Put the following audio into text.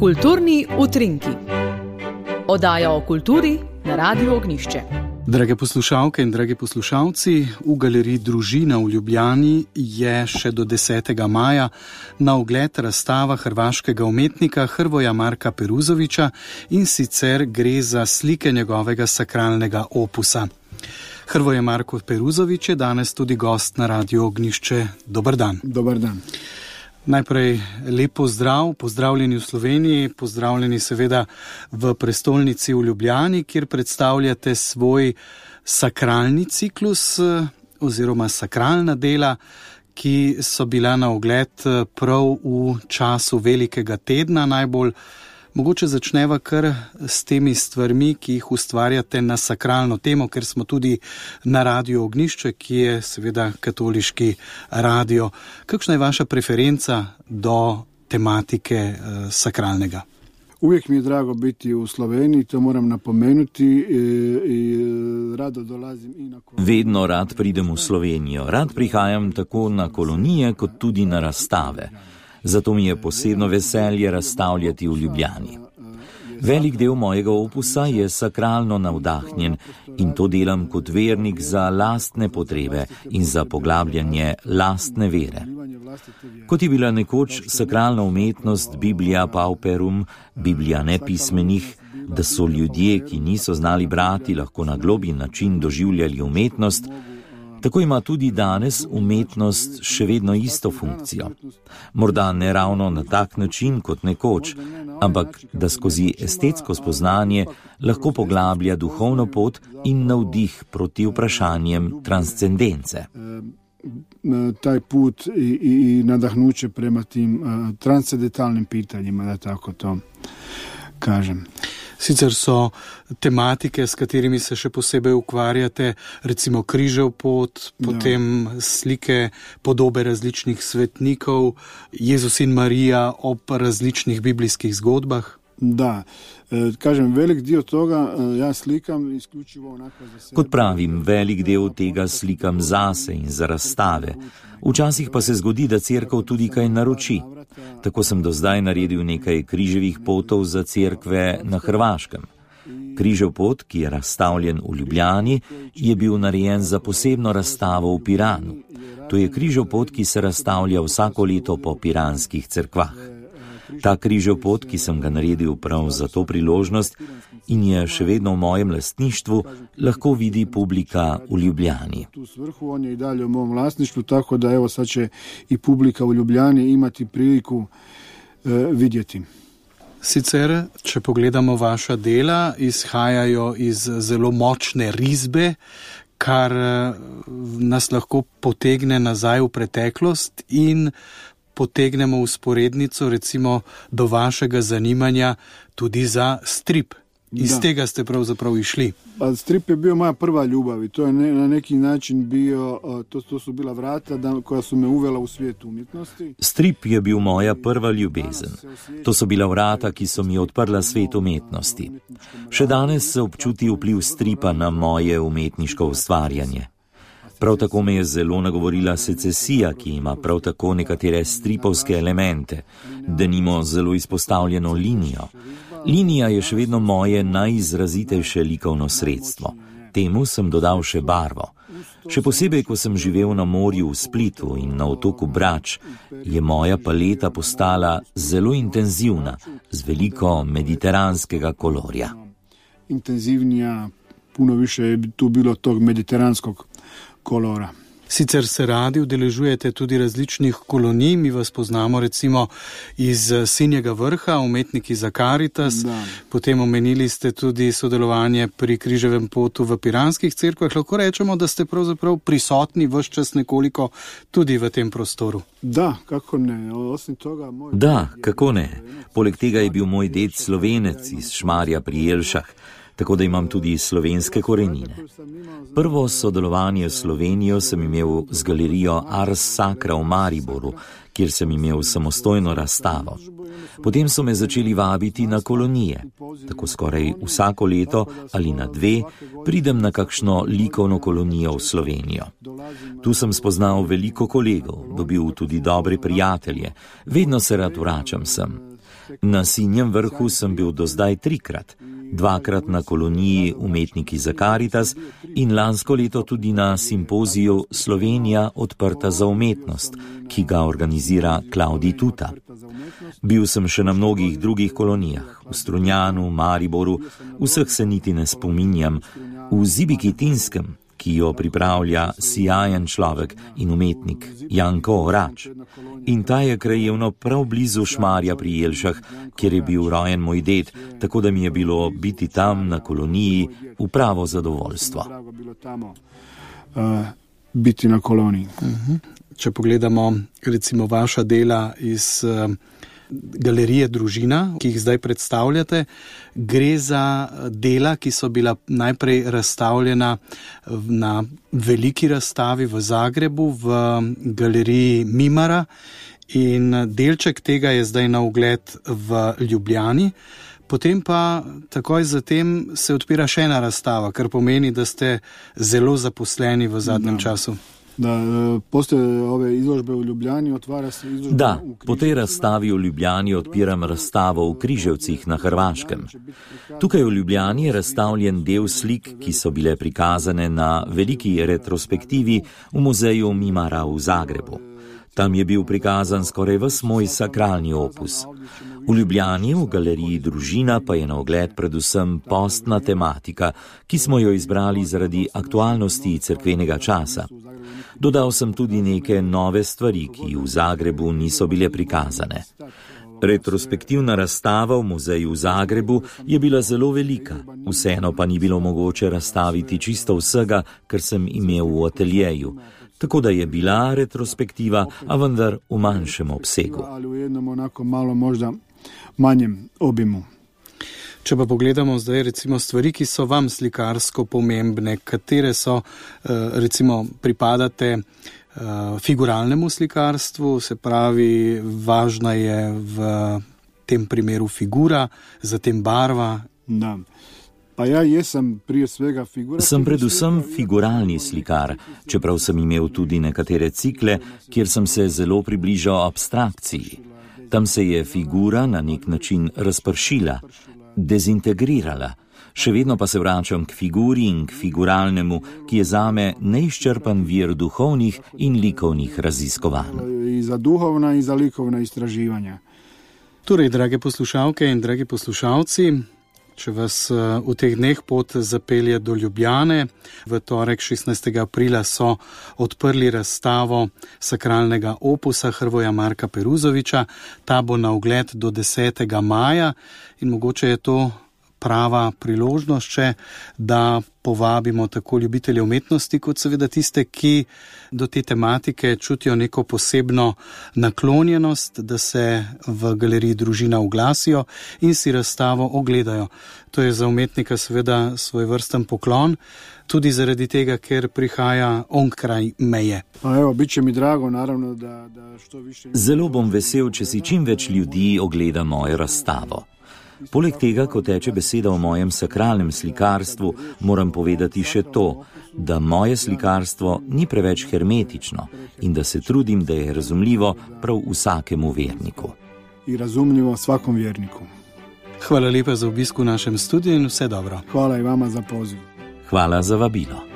Kulturni utrinki. Oddaja o kulturi na Radiu Ognjišče. Drage poslušalke in dragi poslušalci, v galeriji Družina v Ljubljani je še do 10. maja na ogled razstava hrvaškega umetnika Hrvoja Marka Peruzovića, in sicer gre za slike njegovega sakralnega opusa. Hrvoje Marko Peruzović je danes tudi gost na Radiu Ognjišče. Dobar dan. Dobar dan. Najprej lep pozdrav, pozdravljeni v Sloveniji, pozdravljeni seveda v prestolnici v Ljubljani, kjer predstavljate svoj sakralni ciklus oziroma sakralna dela, ki so bila na ogled prav v času velikega tedna najbolj. Mogoče začneva kar s temi stvarmi, ki jih ustvarjate na sakralno temo, ker smo tudi na Radiu Ognjišče, ki je seveda katoliški radio. Kakšna je vaša preferenca do tematike sakralnega? Uvijek mi je drago biti u Sloveniji, to moram napomenuti i rado dolazim i na kolonije. Vedno rad pridem v Slovenijo. Rad prihajam tako na kolonije kot tudi na razstave. Zato mi je posebno veselje razstavljati v Ljubljani. Velik del mojega opusa je sakralno navdahnjen in to delam kot vernik za lastne potrebe in za poglabljanje lastne vere. Kot je bila nekoč sakralna umetnost Biblia Pauperum, Biblija nepismenih, da so ljudje, ki niso znali brati, lahko na globji način doživljali umetnost, tako ima tudi danes umetnost še vedno isto funkcijo. Morda ne ravno na tak način kot nekoč, ampak da skozi estetsko spoznanje lahko poglablja duhovno pot in navdih proti vprašanjem transcendence. Taj put i nadahnuće prema tim transcendentalnim pitanjima, da tako to kažem. Sicer so tematike, s katerimi se še posebej ukvarjate, recimo križev pot, potem slike, podobe različnih svetnikov, Jezus in Marija ob različnih biblijskih zgodbah. Da, kažem, velik dio toga ja slikam isključivo onako za sebe. Kot pravim, velik del tega slikam zase in za razstave. Včasih pa se zgodi, da cerkev tudi kaj naroči. Tako sem do zdaj naredil nekaj križevih potov za cerkve na Hrvaškem. Križev pot, ki je razstavljen v Ljubljani, je bil narejen za posebno razstavo v Piranu. To je križev pot, ki se razstavlja vsako leto po piranskih cerkvah. Ta križev pot, ki sem ga naredil prav za to priložnost in je še vedno v mojem lastništvu, lahko vidi publika v Ljubljani. Tu svrhu on je i dalje u mom vlasništvu, tako da evo sad će i publika u Ljubljani imati priliku vidjeti. Sicer, če pogledamo vaša dela, izhajajo iz zelo močne risbe, kar nas lahko potegne nazaj v preteklost in potegnemo usporednico recimo do vašega zanimanja tudi za strip. Iz tega ste pravzaprav išli. Pa strip je bio moja prva ljubav i to je na neki način bio, to su bila vrata koja su me uvela u svijet umjetnosti. Strip je bil moja prva ljubezen. To so bila vrata, ki so mi odprla svet umetnosti. Še danes se občuti vpliv stripa na moje umetniško ustvarjanje. Prav tako me je zelo nagovorila secesija, ki ima prav tako nekatere stripovske elemente, denimo zelo izpostavljeno linijo. Linija je še vedno moje najizrazitejše likovno sredstvo. Temu sem dodal še barvo. Še posebej, ko sem živel na morju v Splitu in na otoku Brač, je moja paleta postala zelo intenzivna, z veliko mediteranskega kolorja. Intenzivnija, puno više je tu bilo tog mediteranskog kolora. Sicer se radi udeležujete tudi različnih kolonij, mi vas poznamo recimo iz Sinjega vrha, umetniki za Karitas, potem omenili ste tudi sodelovanje pri križevem potu v piranskih cerkvah. Lahko rečemo, da ste pravzaprav prisotni ves čas nekoliko tudi v tem prostoru. Da, kako ne. Osim toga, Da, kako ne. Poleg tega je bil moj ded Slovenec iz Šmarja pri Jelšah, tako da imam tudi slovenske korenine. Prvo sodelovanje s Slovenijo sem imel z galerijo Ars Sacra v Mariboru, kjer sem imel samostojno razstavo. Potem so me začeli vabiti na kolonije. Tako skoraj vsako leto ali na 2 pridem na kakšno likovno kolonijo v Slovenijo. Tu sem spoznal veliko kolegov, dobil tudi dobre prijatelje. Vedno se rad vračam sem. Na Sinjem vrhu sem bil do zdaj 3-krat, 2-krat na koloniji Umetniki za Karitas in lansko leto tudi na simpoziju Slovenija odprta za umetnost, ki ga organizira Klavdij Tuta. Bil sem še na mnogih drugih kolonijah, v Strunjanu, Mariboru, vseh se niti ne spominjam, v Zibikitinskem, ki jo pripravlja sijajen človek in umetnik Janko Orač. In ta je krajevno prav blizu Šmarja pri Jelšah, kjer je bil rojen moj ded, tako da mi je bilo biti tam na koloniji v pravo zadovoljstvo. Biti na koloniji. Če pogledamo recimo vaša dela iz galerije Družina, ki jih zdaj predstavljate, gre za dela, ki so bila najprej razstavljena na veliki razstavi v Zagrebu, v galeriji Mimara, in delček tega je zdaj na ogled v Ljubljani. Potem pa takoj zatem se odpira še ena razstava, kar pomeni, da ste zelo zaposleni v zadnjem času. Da, poslije ove izložbe v Ljubljani otvara se izložba Da, po tej razstavi v Ljubljani odpiram razstavo v Križevcih na Hrvaškem. Tukaj v Ljubljani je razstavljen del slik, ki so bile prikazane na veliki retrospektivi v muzeju Mimara v Zagrebu. Tam je bil prikazan skoraj ves moj sakralni opus. V Ljubljani, v galeriji Družina, pa je na ogled predvsem postna tematika, ki smo jo izbrali zaradi aktualnosti cerkvenega časa. Dodal sem tudi neke nove stvari, ki v Zagrebu niso bile prikazane. Retrospektivna razstava v muzeju v Zagrebu je bila zelo velika, vseeno pa ni bilo mogoče razstaviti čisto vsega, kar sem imel v ateljeju. Tako da je bila retrospektiva, a vendar v manjšem obsegu. Ali v jednom onako malo možda manjem obimu. Če pa pogledamo zdaj recimo stvari, ki so vam slikarsko pomembne, katere so, recimo pripadate figuralnemu slikarstvu, se pravi, važna je v tem primeru figura, zatem barva. Da. Pa ja jesam prije svega figura. Sem predvsem figuralni slikar, čeprav sem imel tudi nekatere cikle, kjer sem se zelo približal abstrakciji. Tam se je figura na nek način razpršila, dezintegrirala. Še vedno pa se vračam k figuri in k figuralnemu, ki je zame neizčrpan vir duhovnih in likovnih raziskovanj. I za duhovna i za likovna istraživanja. Torej, drage poslušalke in dragi poslušalci, če vas v teh dneh pot zapelje do Ljubljane, v torek 16. aprila so odprli razstavo sakralnega opusa Hrvoja Marka Peruzovića. Ta bo na ogled do 10. maja in mogoče je to prava priložnost, da povabimo tako ljubitelje umetnosti, kot seveda tiste, ki do te tematike čutijo neko posebno naklonjenost, da se v galeriji Družina oglasijo in si razstavo ogledajo. To je za umetnika seveda svojvrsten poklon, tudi zaradi tega, ker prihaja onkraj meje. Pa evo, bit će mi drago, naravno, da što više... Zelo bom vesel, če si čim več ljudi ogleda mojo razstavo. Poleg tega, ko teče beseda o mojem sakralnem slikarstvu, moram povedati še to, da moje slikarstvo ni preveč hermetično in da se trudim, da je razumljivo prav vsakemu verniku. I razumljivo svakom verniku. Hvala lepa za obisk v našem studiu in vse dobro. Hvala i vama za poziv. Hvala za vabilo.